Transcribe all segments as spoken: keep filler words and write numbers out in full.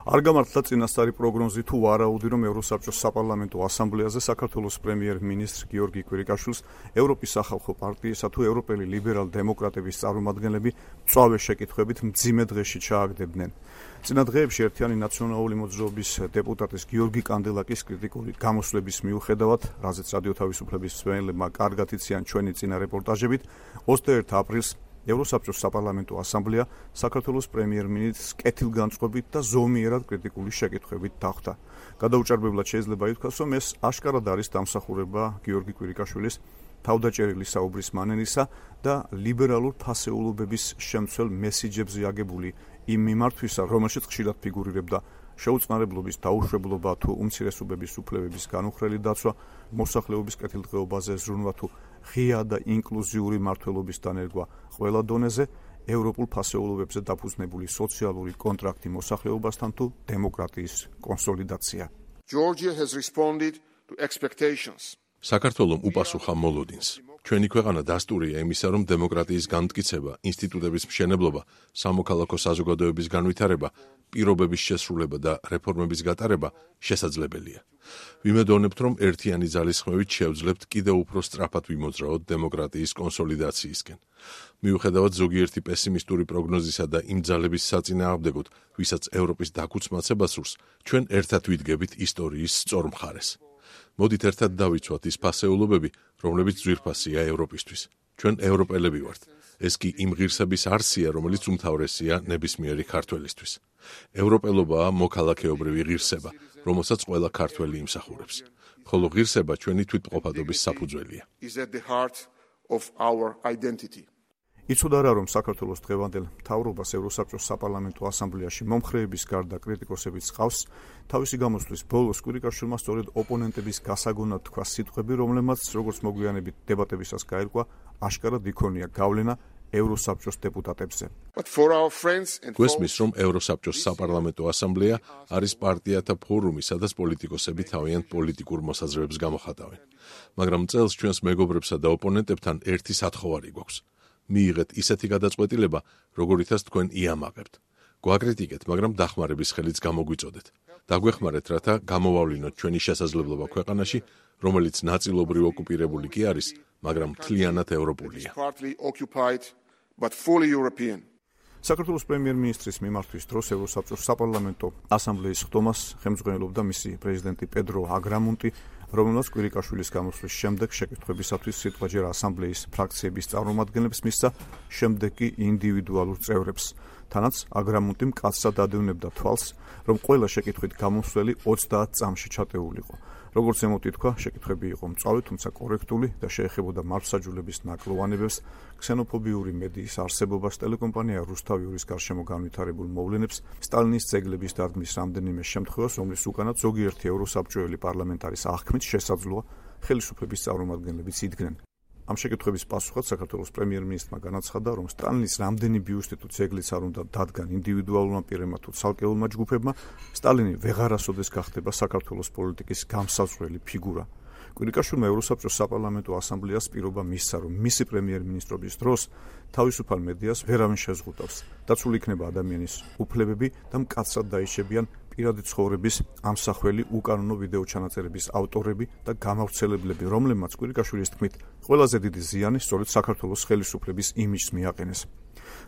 არ გამართლა წინასწარი პროგნოზი თუ ვარაუდი, რომ ევროსაბჭოს საპარლამენტო ასამბლეაზე საქართველოს პრემიერ-მინისტრ გიორგი კვირიკაშვილს ევროპის სახალხო პარტიისა თუ ევროპელი ლიბერალ-დემოკრატების წარმომადგენლები მწვავე შეკითხვებით მძიმე დღეში ჩააგდებდნენ. წინა დღეებში ერთიანი ნაციონალური მოძრაობის დეპუტატის გიორგი კანდელაკის კრიტიკული გამოსვლების მიუხედავად, რაზეც რადიო თავისუფლების მსმენელებმა კარგად იციან ჩვენი წინა რეპორტაჟებით, ოცდაერთი აპრილს ევროსაბჭოს საპარლამენტო ასამბლეა საქართველოს პრემიერ-მინისტრს კეთილგანწყობით და ზომიერად კრიტიკული შეკითხვებით დახვდა. გადაუჭარბებლად შეიძლება ითქვას, რომ ეს აშკარად არის დამსახურება გიორგი კვირიკაშვილის თავდაჭერილი საუბრის მანერისა და ლიბერალურ ფასეულობების შემცველ მესიჯებზე აგებული იმ მიმართვისა, რომელშიც ხშირად ფიგურირებდა შეუწყნარებლობის დაუშვებლობა თუ უმცირესობების უფლებების განუხრელი დაცვა, მოსახლეობის კეთილდღეობაზე ზრუნვა თუ ღია და ინკლუზიური მმართველობის დანერგვა ყველა დონეზე, ევროპულ ფასეულობებზე დაფუძნებული სოციალური კონტრაქტი მოსახლეობასთან თუ დემოკრატიის კონსოლიდაცია. Georgia has responded to expectations. საქართველომ უპასუხა მოლოდინს. ჩვენი ქვეყანა დასტურია იმისა, რომ დემოკრატიის განმტკიცება, ინსტიტუტების მშენებლობა, სამოქალაქო საზოგადოების განვითარება, პირობების შესრულება და რეფორმების გატარება შესაძლებელია. ვიმედოვნებთ, რომ ერთიანი ძალისხმევით შევძლებთ კიდევ უფრო სწრაფად ვიმოძრაოთ დემოკრატიის კონსოლიდაციისკენ. მიუხედავად ზოგიერთი პესიმისტური პროგნოზისა და იმ ძალების საწინააღმდეგოდ, ვისაც ევროპის დაქუცმაცება სურს, ჩვენ ერთად ვიდგებით ისტორიის სწორ მხარეს. მოდით ერთად დავიცვათ ის ფასეულობები, რომლებიც ძვირფასია ევროპისთვის. ჩვენ ევროპელები ვართ. ეს კი იმ ღირსების არსია, რომელიც უმთავრესია ნებისმიერი ქართველისთვის. ევროპელობაა მოქალაქეობრივი ღირსება, რომელსაც ყველა ქართველი იმსახურებს. ხოლო ღირსება ჩვენი თვითმყოფადობის საფუძველია. იცოდა რა, რომ საქართველოს დღევანდელ მთავრობას ევროსაბჭოს საპარლამენტო ასამბლეაში მომხრეების გარდა კრიტიკოსებიც ჰყავს, თავისი გამოსვლის ბოლოს კვირიკაშვილმა სწორედ ოპონენტების გასაგონად თქვა სიტყვები, რომლებმაც როგორც მოგვიანებით დებატებისას გაირკვა, აშკარად იქონია გავლენა ევროსაბჭოს დეპუტატებზე. გვესმის, რომ ევროსაბჭოს საპარლამენტო ასამბლეა არის პარტიათა ფორუმი, სადაც პოლიტიკოსები თავიანთ პოლიტიკურ მოსაზრებებს გამოხატავენ. მაგრამ წელს ჩვენს მეგობრებსა და ოპონენტებთან ერთი სათხოვარი გვაქვს. მიიღეთ ისეთი გადაწყვეტილება, როგორითაც თქვენ იამაღებთ. გვაკრიტიკეთ, მაგრამ დახმარების ხელიც გამოგვიწოდეთ. დაგვეხმარეთ, რათა გამოვავლინოთ ჩვენი შესაძლებლობა ქვეყანაში, რომელიც ნაწილობრივ ოკუპირებული კი არის, მაგრამ მთლიანად ევროპულია. საქართველოს პრემიერ-მინისტრის მიმართვის დროს ევროსაბჭოს საპარლამენტო ასამბლეის ხდომას ხელმძღვანელობდა მისი პრეზიდენტი პედრო აგრამუნტი, რომელმაც კვირიკაშვილის გამოსვლის შემდეგ შეკითხვებისათვის სიტყვაჯერ ასამბლეის ფრაქციების წარმომადგენლებს მისცა, შემდეგ კი ინდივიდუალურ წევრებს. თანაც აგრამუნტი მკაცრად ადევნებდა თვალს, რომ ყველა შეკითხვით გამოსვლელი ოცდაათ წამში ჩატეულიყო. როგორც ემოთ ითქვა, შეკითხვები იყო მწვავე, თუმცა კორექტული და შეეხებოდა მართლმსაჯულების ნაკლოვანებებს, ქსენოფობიური მედიის არსებობას, ტელეკომპანია რუსთავიურის გარშემო განვითარებულ მოვლენებს, სტალინის ძეგლების დადგმის რამდენიმე შემთხვევას, რომლის უკანაც ზოგიერთი ევროსაბჭოელი პარლამენტარის აღქმით შესაძლოა ხელისუფლების წარმომადგენლებიც იდგნენ. ამ შეკითხვების პასუხად საქართველოს პრემიერ-მინისტრმა განაცხადა, რომ სტალინის რამდენი ბიუსტი თუ ძეგლიც არ უნდა დადგან ინდივიდუალურმა პირებმა თუ ცალკეულმა ჯგუფებმა, სტალინი ვეღარასოდეს გახდება საქართველოს პოლიტიკის გამსაზღვრელი ფიგურა. კვირიკაშვილმა ევროსაბჭოს საპარლამენტო ასამბლეას პირობა მისცა, რომ მისი პრემიერ-მინისტრობის დროს თავისუფალ მედიას ვერავინ შეზღუდავს. დაცული იქნება ადამიანის უფლებები და მკაცრად დაიშებიან პირადი ცხოვრების ამსახველი უკანონო ვიდეო ჩანაწერების ავტორები და გამავრცელებლები, რომლებმაც კვირიკაშვილის თქმით, ყველაზე დიდი ზიანი სწორედ საქართველოს ხელისუფლების იმიჯს მიაყენეს.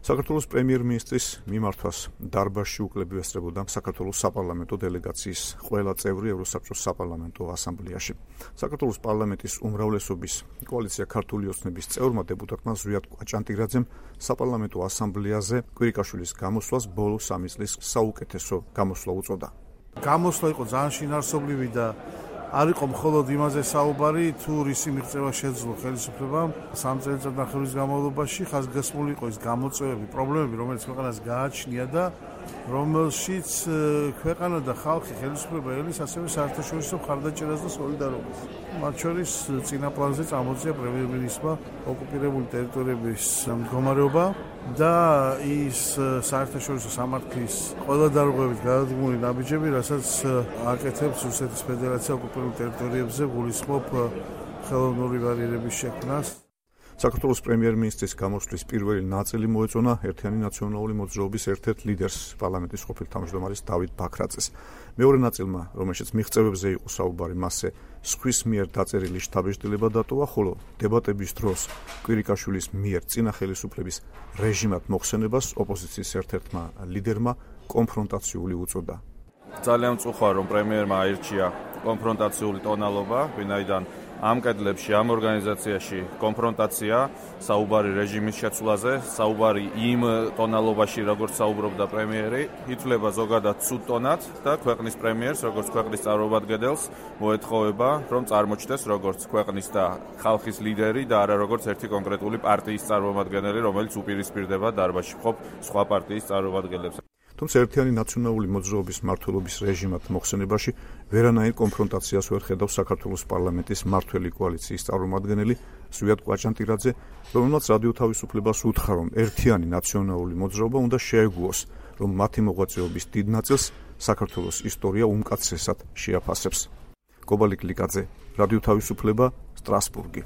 საქართველოს პრემიერ-მინისტრის მიმართვას დარბაზში უკლები ესწრებოდა საქართველოს საპარლამენტო დელეგაციის ყველა წევრი ევროსაბჭოს საპარლამენტო ასამბლეაში. საქართველოს პარლამენტის უმრავლესობის კოალიცია ქართული ოცნების წევრმა დეპუტატმა ზვიად კვაჭანტირაძემ საპარლამენტო ასამბლეაზე კვირიკაშვილის გამოსვლას ბოლო სამი წლის საუკეთესო გამოსვლა უწოდა. გამოსვლა იყო ძალიან შინაარსობრივი და არ იყო მხოლოდ იმაზე საუბარი, თუ რისი მიღწევა შეძლო ხელისუფლებამ სამ წელიწადნახევრის განმავლობაში ხაზგასმული იყო ის გამოწვევები, პრობლემები, რომელიც ქვეყანას გააჩნია და რომელშიც ქვეყანა და ხალხი ხელისუფლება ელის ასევე საერთაშორისო მხარდაჭერას და სოლიდარობას. მათ შორის წინა პლანზე წამოწია პრემიერ-მინისტრმა ოკუპირებული ტერიტორიების მდგომარეობა და ის საერთაშორისო სამართლის ყველა დარღვევით გადადგმული ნაბიჯები, რასაც აკეთებს რუსეთის ფედერაცია ოკუპირებულ ტერიტორიებზე გულისხმობ ხელოვნური ბარიერების შექმნას. საქართველოს პრემიერ-მინისტრის გამოსვლის პირველი ნაწილი მოეწონა ერთიანი ნაციონალური მოძრაობის ერთ-ერთ ლიდერს, პარლამენტის ყოფილ თავმჯდომარეს დავით ბაქრაძეს. მეორე ნაწილმა, რომელშიც მიღწევებზე იყო საუბარი, მასზე სხვის მიერ დაწერილი შთაბეჭდილება დატოვა, ხოლო დებატების დროს კვირიკაშვილის მიერ წინა ხელისუფლების რეჟიმად მოხსენებას ოპოზიციის ერთ-ერთმა ლიდერმა კონფრონტაციული უწოდა. ძალიან მწუხარ, რომ პრემიერმა აირჩია კონფრონტაციული ტონალობა, ვინაიდან ამ კედლებში, ამ ორგანიზაციაში კონფრონტაცია, საუბარი რეჟიმის შეცვლაზე, საუბარი იმ ტონალობაში, როგორც საუბრობდა პრემიერი, ითვლება ზოგადად ცუდ ტონად და ქვეყნის პრემიერს, როგორც ქვეყნის წარმომადგენელს, მოეთხოვება, რომ წარმოჩნდეს როგორც ქვეყნის და ხალხის ლიდერი და არა როგორც ერთი კონკრეტული პარტიის წარმომადგენელი, რომელიც უპირისპირდება დარბაზში მყოფ სხვა პარტიის წარმომადგენლებს. თუმცა ერთიანი ნაციონალური მოძრაობის მმართველობის რეჟიმად მოხსენებაში ვერანაირ კონფრონტაციას ვერ ხედავს საქართველოს პარლამენტის მმართველი კოალიციის წარმომადგენელი ზვიად კვაჭანტირაძე, რომელმაც რადიო თავისუფლებას უთხრა, რომ ერთიანი ნაციონალური მოძრაობა უნდა შეეგუოს, რომ მათი მოღვაწეობის დიდ ნაწილს საქართველოს ისტორია უმკაცრესად შეაფასებს. კობალიკ ლიკაძე, რადიო თავისუფლება, სტრასბურგი.